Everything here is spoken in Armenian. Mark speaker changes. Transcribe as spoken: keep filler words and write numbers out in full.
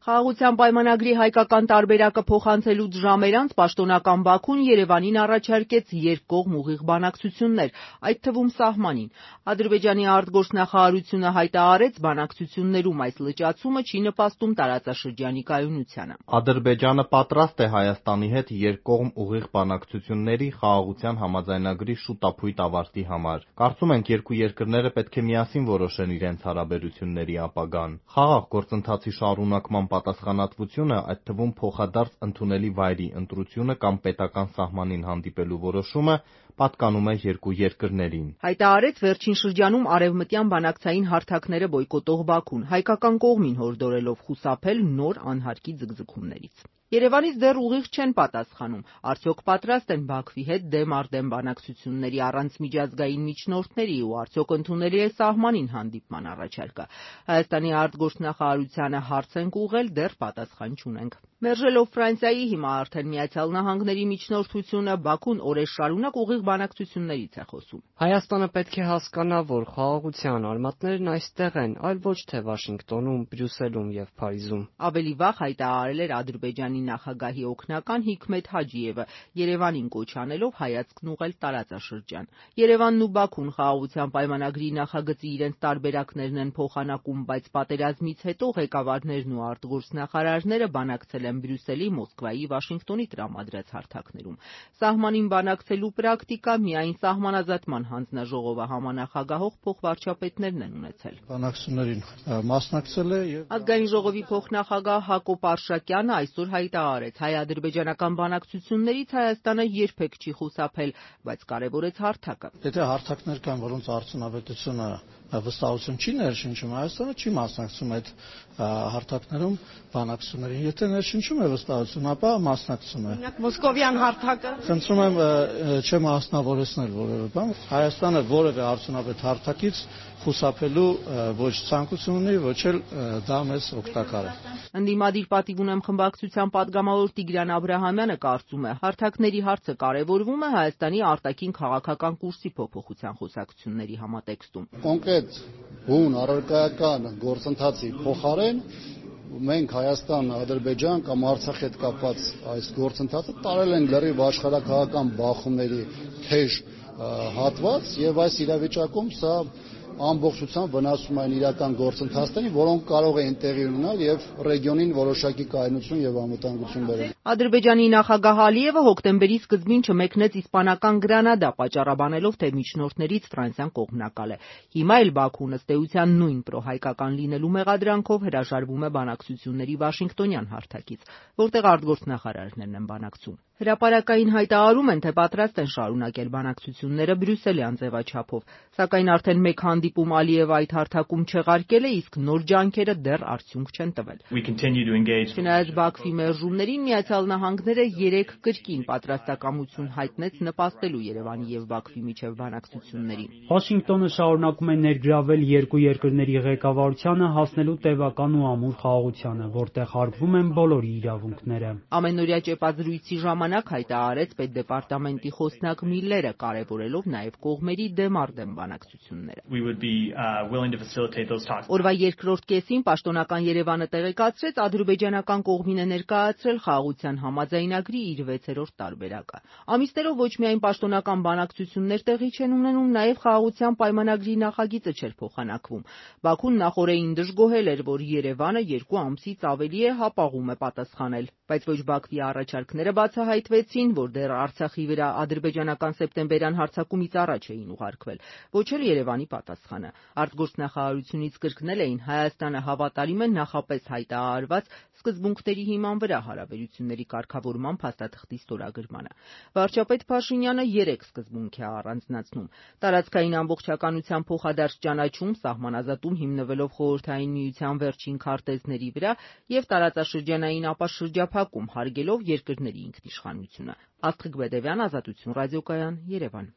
Speaker 1: Խաղաղության պայմանագրի հայկական տարբերակը փոխանցելուց ժամեր անց պաշտոնական Բաքուն Երևանին առաջարկեց երկկողմ ուղիղ բանակցություններ, այդ թվում սահմանին։ Ադրբեջանի արտգործնախարարությունը հայտարարեց, բանակցություններում այս լճացումը չի նպաստում տարածաշրջանի կայունությանը։
Speaker 2: Ադրբեջանը պատրաստ է Հայաստանի հետ երկկողմ ուղիղ բանակցությունների Խաղաղության համաձայնագրի շուտափույթ ավարտի համար։ Կարծում ենք, երկու երկրները պետք է միասին որոշեն իրենց հարաբերությունների ապագան։ Խաղաղ գործընթացի շարունակման պատասխանատվությունը, այդ թվում փոխադարձ ընդունելի վայրի ընտրությունը կամ պետական սահմանին հանդիպելու որոշումը պատկանում է երկու երկրներին։
Speaker 1: Հայտարարեց վերջին շրջանում արևմտյան բանակցային հարթակները բոյկոտող Բաքուն, հայկական կողմին հորդորելով խուսափել նոր անհարկի ձգձգումներից։ Երևանից դեռ ուղիղ չեն պատասխանում, արդյոք պատրաստ են Բաքվի հետ դեմ առ դեմ բանակցությունների առանց միջազգային միջնորդների ու արդյոք ընդունելի է սահմանին հանդիպման առաջարկը։ Հայաստանի արտգործնախարարությանը հարց ենք ուղղել, դեռ պատասխան չունենք։ Մերժելով Ֆրանսիայի, հիմա արդեն Միացյալ Նահանգների միջնորդությունը, Բաքուն օրեր շարունակ ուղիղ բանակցություններից է խոսում։
Speaker 3: Հայաստանը պետք է հասկանա, որ խաղաղության արմատներն այստեղ են, այլ ոչ թե Վաշինգտոնում, Բրյուսելում եւ Փարիզում։
Speaker 1: Ավելի վաղ հայտարարել էր Ադրբեջանի նախագահի օգնական Հիքմեթ Հաջիևը, Երևանին կոչ անելով հայացքն ուղղել տարածաշրջան։ Երևանն ու Բաքուն խաղաղության պայմանագրի նախագծի իրենց տարբերակներն են փոխանակում, բայց պատերազմից հետո ղեկավարներն ու արտգործնախարարները բանակցել են Բրյուսելի, Մոսկվայի, Վաշինգտոնի տրամադրած հարթակներում։ Սահմանին բանակցելու պրակտիկա միայն Սահմանազատման հանձնաժողովը համանախագահող փոխվարչապետներն են ունեցել։
Speaker 4: Բանակցություններին մասնակցել է եւ
Speaker 1: Ազգային ժողովի փոխնախագահ Հակոբ Արշակյանը այսօր հայտարարեց, հայ-ադրբեջանական բանակցություններից Հայաստանը երբեք չի խուսափել, բայց կարևորեց հարթակը։
Speaker 4: Եթե հարթակներ կան, որոնց արդյունավետությունը վստահություն չի ներշնչում, Հայաստանը չի մասնակցում այդ հարթակներում բանակցություններին։ Եթե ներշնչում է վստահություն, ապա մասնակցում է։
Speaker 1: Օրինակ Մոսկովյան հարթակը։
Speaker 4: Խնդրում եմ չեմ մասնավորեցնել որևէ բան։ Հայաստանը որևէ արդյունավետ հարթակից խուսափելու ոչ ցանկություն ունի, ոչ էլ դա մեզ օգտակար է։
Speaker 1: Ընդդիմադիր պատիվ ունեմ խմբակցության падգամավոր Տիգրան Աբրահամյանը կարծում է, հարթակների հարցը կարևորվում է Հայաստանի արտաքին քաղաքական կուրսի փոփոխության խոսակցությունների համատեքստում։
Speaker 5: Կոնկրետ բուն առարկայական գործընթացի փոխարեն մենք Հայաստան, Ադրբեջան կամ Արցախի հետ կապված այս գործընթացը տարել են լրիվ աշխարհակաղակական բախումների թեժ հատված եւ այս իրավիճակում սա ամբողջությամբ վնասում են իրական գործընթացներին, որոնք կարող էին տեղի ունենալ եւ ռեգիոնին որոշակի կայունություն եւ անվտանգություն բերել։
Speaker 1: Ադրբեջանի նախագահ Ալիևը հոկտեմբերի սկզբին չմեկնեց իսպանական Գրանադա, պատճառաբանելով, թե միջնորդներից Ֆրանսիան կողմնակալ է։ Հիմա էլ Բաքուն ըստ էության նույն պրոհայկական լինելու մեղադրանքով հրաժարվում է բանակցությունների Վաշինգտոնյան հարթակից, որտեղ արտգործնախարարներն են բանակցում։ Հրապարակային հայտարարում են, թե պատրաստ են շարունակել բանակցությունները բրյուսելյան ձևաչափով, սակայն արդեն մեկ հանդիպում Ալիևը այդ հարթակում չեղարկել է, իսկ նոր ջանքերը դեռ արդյունք չեն տվել։ Չնայած Բաքվի մերժումներին, Միացյալ Նահանգները երեք կրկին պատրաստակամություն հայտնեց նպաստելու Երևանի եւ Բաքվի միջև բանակցություններին։
Speaker 6: Վաշինգտոնը շարունակում է ներգրավել երկու երկրների ղեկավարությանը հասնելու տևական ու ամուր խաղաղությանը, որտեղ հարգվում են բոլորի իրավունքները։
Speaker 1: Ամենօրյա ճեպազրույցի ժամանակ հայտարարեց պետդեպարտամենտի խոսնակ Միլլերը, կարևորելով նաև կողմերի դեմ առ դեմ բանակցությունները։ Օրվա երկրորդ կեսին պաշտոնական Երևանը տեղեկացրեց, ադրբեջանական կողմին է ներկայացրել խաղաղության համաձայնագրի իր վեցերորդ տարբերակը։ Ամիսներով ոչ միայն պաշտոնական բանակցություններ տեղի չեն ունենում, նաև խաղաղության պայմանագրի նախագիծը չէր փոխանակվում։ Բաքուն նախօրեին դժգոհել էր, որ Երևանը երկու ամսից ավելի է հապաղում է պատասխանել, բայց ոչ Բաքվի առաջարկները բացահայտվեցին, որ դեռ Արցախի վրա ադրբեջանական սեպտեմբերյան հարձակումից առաջ էին ուղարկվել, ոչ էլ Երևանի պատասխանը։ Արտգործնախարարությունից կրկնել էին, Հայաստանը հավատարիմ է նախապես հայտարարված սկզբունքների հիման վրա հարաբերությունների կարգավորման փաստաթղթի ստորագրմանը։ Վարչապետ Փաշինյանը երեք սկզբունք է առանձնացնում՝ տարածքային ամբողջականության փոխադարձ ճանաչում, սահմանազատում հիմնվելով Խորհրդային Միության վերջին քարտեզների վրա եւ տարածաշրջանային ապաշրջափակում, հարգելով երկրների ինքնիշխանությունը։ Աստղիկ Բեդևյան, Ազատություն ռադիոկայան, Երևան։